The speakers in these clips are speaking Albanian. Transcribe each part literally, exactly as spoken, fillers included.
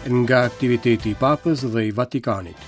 Nga aktiviteti i Papës dhe i Vatikanit.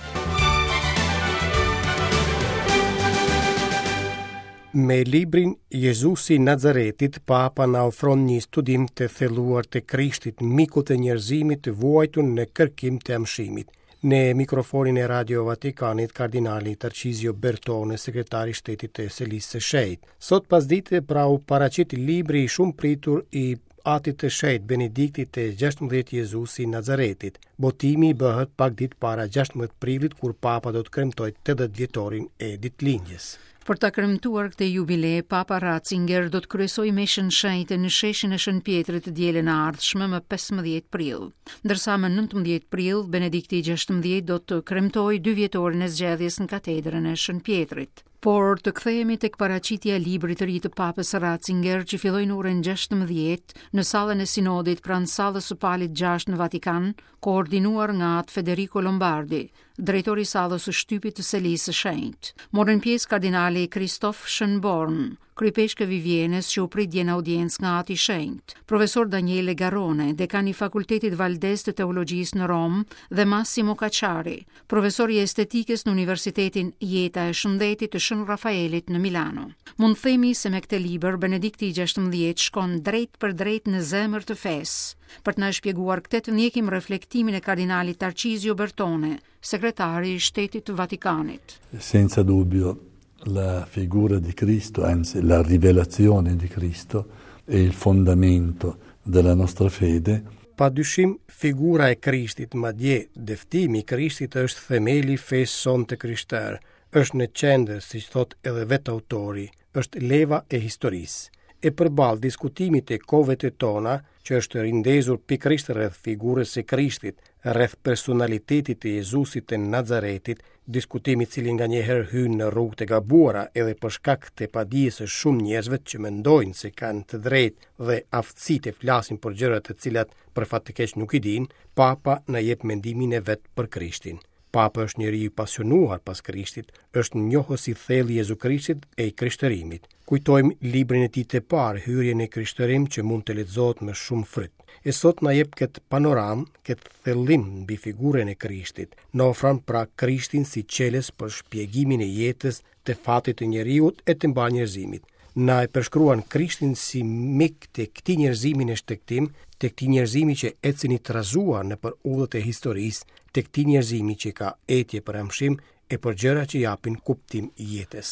Me librin Jezusi i Nazaretit, Papa na ofron një studim të thelluar të Krishtit, mikut të njerëzimit të vuajtur në kërkim të amshimit. Në mikrofonin e Radio Vatikanit, kardinali Tarcizio Bertone, sekretari i shtetit të Selisë së Shenjtë. Sot pasdite pra u paraqit libri i shumë pritur i Atit të Shenjtë Benediktit të gjashtëmbëdhjetë Jezusi i Nazaretit. Botimi bëhet pak ditë para gjashtëmbëdhjetë prillit, kur Papa do të kremtojë tetëdhjetë vjetorin e ditëlindjes. Për ta kremtuar këtë jubile, Papa Ratzinger do të kryesojë meshën shenjte në sheshin e Shën Pjetrit të dielën e ardhshme më pesëmbëdhjetë prill. Ndërsa më nëntëmbëdhjetë prill, Benedikti i gjashtëmbëdhjetë do të kremtojë dy vjetorin e zgjedhjes në katedrën e Shën Pjetrit. Por të kthehemi tek paraqitja e librit të ri të Papës Ratzinger që filloi në orën gjashtëmbëdhjetë në sallën e Sinodit pranë sallës së Palit gjashtë në Vatikan, koordinuar nga Atë Federico Lombardi, drejtori i sallës së shtypit të Selisë së Shenjtë. Morën pjesë kardinali Christoph Schönborn, kryepeshkëv i Vjenës që u prit dje në audiencë nga Ati i Shenjtë, profesor Daniele Garrone, dekan i Fakultetit Valdez të Teologjisë në Romë dhe Massimo Cacciari, profesor i estetikës në Universitetin Jeta e Shëndetit të Shën Rafaelit në Milano. Mund themi se me këtë libër Benedikti i gjashtëmbëdhjetë shkon drejt për drejt në zemër të fesë. Për të na shpjeguar këtë të ndjekim reflektimin e kardinalit Tarcizio Bertone, sekretari i Shtetit të Vatikanit. Senza dubbio la figura di Cristo, anzi la rivelazione di Cristo è il fondamento della nostra fede. Pa dyshim, figura e Krishtit, madje dëftimi i Krishtit është themeli i fesë sonë të krishterë, është në qendër, siç thot edhe vetë autori, është leva e historisë. E përballë diskutimit e kohëve të tona, që është rindezur pikërisht rreth figurës së Krishtit, rreth personalitetit të Jezusit të Nazaretit, diskutimi i cili nganjëherë hyn në rrugë të gabuara edhe për shkak të padijes së shumë njerëzve që mendojnë se kanë të drejtë dhe aftësi të flasin për gjëra të cilat për fat të keq nuk i dinë, Papa na jep mendimin e vet për Krishtin. Papa është njeri i pasionuar pas Krishtit, është njohës i thellë i Jezu Krishtit e i krishterimit. Kujtojmë librin e tij të parë, Hyrjen e Krishterim, që mund të lexohet me shumë fryt. E sot na jep këtë panoramë, këtë thellim mbi figurën e Krishtit. Na ofron pra Krishtin si çelës për shpjegimin e jetës, të fatit të njeriut e të mbarë njerëzimit. Na e përshkruan Krishtin si mik të këtij njerëzimi në shtegtim, të këtij njerëzimi që ecën i trazuar nëpër udhët e historisë, të këtij njerëzimi që ka etje për amshim e për gjëra që japin kuptim jetës.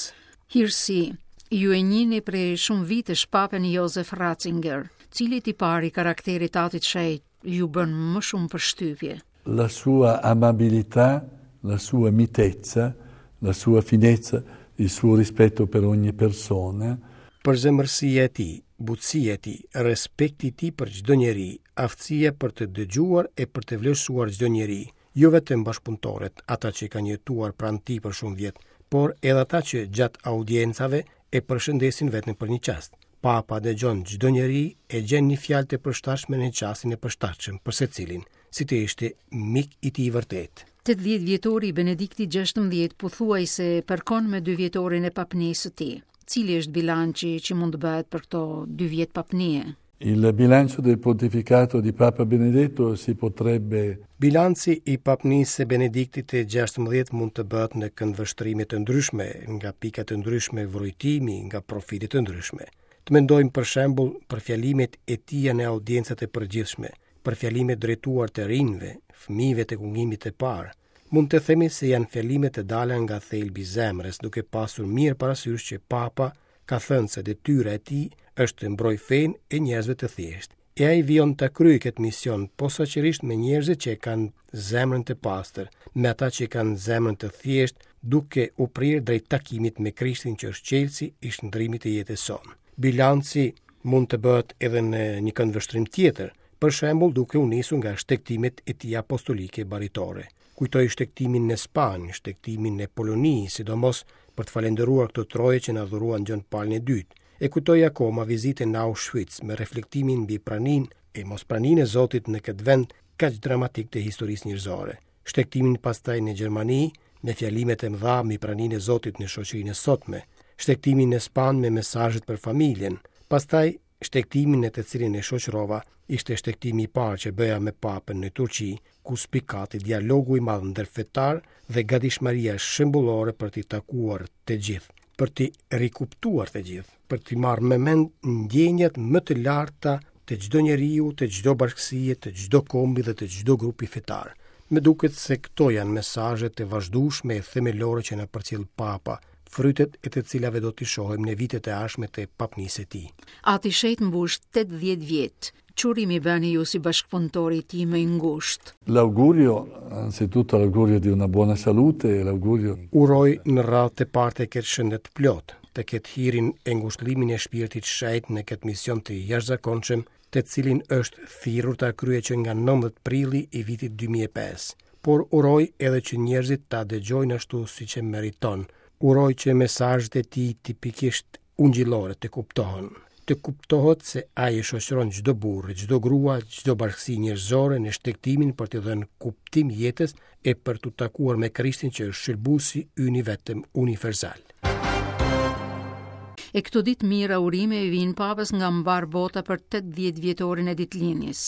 Hirësi, ju e njihni prej shumë vitesh Papën Josef Ratzinger, cili tipar i karakterit të Atit Shenjt ju bën më shumë përshtypje? La sua amabilità, la sua mitezza, la sua finezza, il suo rispetto per ogni persona. Përzemërsia e tij, butësia e tij, respekti i tij për çdo njeri, aftësia për të dëgjuar e për të vlerësuar çdo njeri, jo vetëm bashkëpunëtorët, ata që kanë jetuar pranë tij për shumë vjet, por edhe ata që gjatë audiencave e përshëndesin vetëm për një çast. Papa dëgjon çdo njeri e gjen një fjalë të përshtatshme në çastin e përshtatshëm për secilin, si të ishte mik i tij i vërtetë. Tetëdhjetë vjetori i Benediktit gjashtëmbëdhjetë pothuajse përkon me dy vjetorin e papnisë së tij. Cili është bilanci që mund të bëhet për këto dy vjet papnie? Il bilancio del pontificato di Papa Benedetto si potrebbe Bilanci i papnisë së Benediktit të gjashtëmbëdhjetë mund të bëhet në këndvështrime të ndryshme, nga pika të ndryshme vrojtimi, nga profile të ndryshme. Të mendojmë për shembull për fjalimet e tija në audiencat e përgjithshme, për fjalimet drejtuar të rinjve, fëmijëve të kungimit të parë. Mund të themi se janë fjalime të dala nga thelbi i zemrës, duke pasur mirë parasysh që Papa ka thënë se detyra e tij është të mbrojë fenë e njerëzve të thjeshtë. E ai vijon ta kryejë këtë mision posaçërisht me njerëzit që e kanë zemrën të pastër, me ata që e kanë zemrën të thjeshtë, duke u prirë drejt takimit me Krishtin që është çelësi i shndrimit të jetës sonë. Bilanci mund të bëhet edhe në një këndvështrim tjetër, për shembull duke u nisur nga shtegtimet e tij apostolike baritore. Kujtoj shtegtimin në Spanjë, shtegtimin në Poloni, sidomos për të falendëruar këto troje që na dhuruan Gjon Palin e dytë. E kujtoj akoma vizitën në Auschwitz me reflektimin mbi praninë e mospraninë e Zotit në këtë vend kaq dramatik të historisë njerëzore. Shtegtimin pastaj në Gjermani me fjalimet e mëdha mbi praninë e Zotit në shoqërinë e sotme, shtegtimin në Spanjë me mesazhet për familjen, pastaj Shtegtimin e të cilin e shoqërova ishte shtegtimi i parë që bëja me Papën në Turqi, ku spikati dialogu i madh ndërfetar dhe gatishmëria shembullore për t'i takuar të gjithë, për t'i rikuptuar të gjithë, për t'i marrë me mend ndjenjat më të larta të çdo njeriu, të çdo bashkësie, të çdo kombi dhe të çdo grupi fetar. Më duket se këto janë mesazhe të vazhdueshme e themelore që na përcjell Papa, frytet e të cilave do t'i shohim në vitet e ardhshme të papnisë së tij. Ati Shenjt mbush tetëdhjetë vjet. Ç'urimi bëni ju si bashkëpunëtori i tij më i ngushtë? L'augurio, anzitutto l'augurio di una buona salute e l'augurio Uroj në radhë të parë të ketë shëndet plot, të ketë hirin e ngushëllimin e shpirtit shenjt në këtë mision të jashtëzakonshëm, të cilin është thirrur ta kryejë që nga nëntëmbëdhjetë prilli i vitit dy mijë e pesë. Por uroj edhe që njerëzit ta dëgjojnë ashtu siç e meriton. Uroj që mesazhet e tij tipikisht ungjillore të kuptohen. Të kuptohet se ai e shoqëron çdo burrë, çdo grua, çdo bashkësi njerëzore në shtegtimin për t'i dhënë kuptim jetës e për t'u takuar me Krishtin që është shëlbuesi ynë i vetëm universal. E këto ditë mira urime i vijnë Papës nga mbar bota për tetëdhjetë vjetorin e ditëlindjes.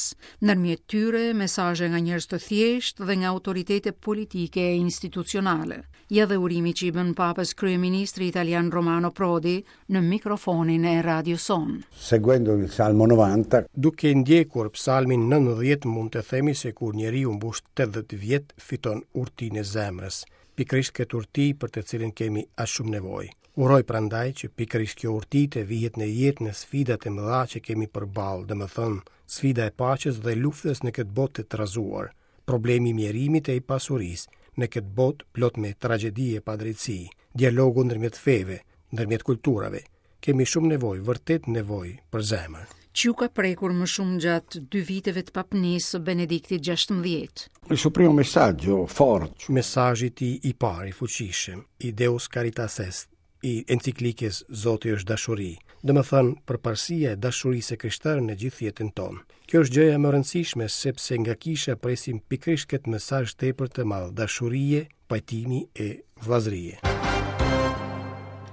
Ndërmjet tyre, mesazhe nga njerëz të thjeshtë dhe nga autoritete politike e institucionale. Ja dhe urimi që i bën Papës kryeministri italian Romano Prodi në mikrofonin e Radio Son. Seguendo il Salmo novanta, Duke ndjekur psalmin nëntëdhjetë mund të themi se kur njeriu mbush tetëdhjetë vjet fiton urtinë e zemrës, pikërisht këtë urti për të cilën kemi aq shumë nevojë. Uroj prandaj që pikërisht kjo urti të vihet në jetë në sfidat e mëdha që kemi përballë, domethënë sfida e paqes dhe luftës në këtë botë të trazuar, problemi i mjerimit e i pasurisë në këtë botë plot me tragjedi e padrejtësi, dialogu ndërmjet feve, ndërmjet kulturave. Kemi shumë nevojë, vërtet nevojë për zemër. Ç'ju ka prekur më shumë gjatë dy viteve të papnisë së Benediktit gjashtëmbëdhjetë? Il suo primo messaggio forte. Mesazhi i tij i parë i fuqishëm, i Deus Caritas Est, i enciklikës Zoti është dashuri, domethënë përparësia e dashurisë së krishterë në gjithë jetën tonë. Kjo është gjëja më e rëndësishme sepse nga kisha presim pikërisht këtë mesazh tepër të madh dashurie, pajtimi e vëllazërie.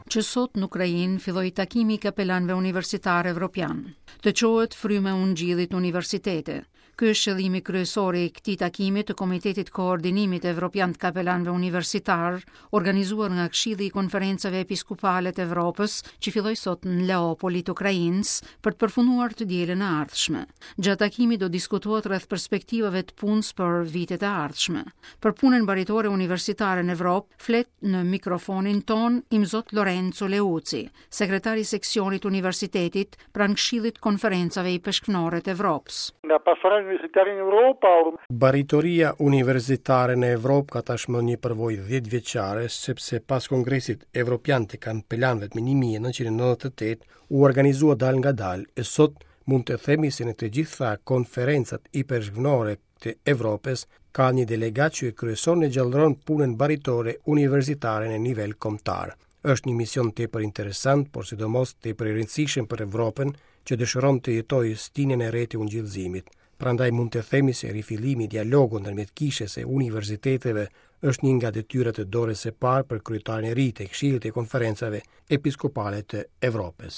Që sot në Ukrainë filloi takimi i kapelanëve universitar evropian. Të çohet fryma e ungjillit në universitete. Ky është qëllimi kryesor i këtij takimi të Komitetit Koordinimit Evropian të Kapelanëve Universitar, organizuar nga Këshilli i Konferencave Episkopale të Evropës, që filloi sot në Leopoli të Ukrainës për të përfunduar të dielën e ardhshme. Gjatë takimit do diskutohet rreth perspektivave të punës për vitet e ardhshme. Për punën baritore universitare në Evropë flet në mikrofonin ton Imzot Lorenzo Leuci, sekretari i seksionit universitetit pranë Këshillit Konferencave Ipeshkvnore të Evropës. La pastorale universitaria in Europa or- Baritoria universitare në Evropë ka tashmë një përvojë dhjetë vjeçare, sepse pas Kongresit Evropian të Kampelanëve më një mijë e nëntëqind e nëntëdhjetë e tetë u organizua dal nga dal, e sot mund të themi se në të gjitha konferencat ipeshkvnore të Evropës ka një delegat që e kryeson e gjallëron punën baritore universitare në nivel kombëtar. Është një mision tepër interesant, por sidomos tepër i rëndësishëm për Evropën që dëshiron të jetojë stinën e re të ungjillëzimit. Prandaj mund të themi se rifillimi i dialogut ndërmjet kishës e universiteteve është një nga detyrat e dorës së parë për kryetarin e ri të Këshillit të Konferencave Episkopale të Evropës.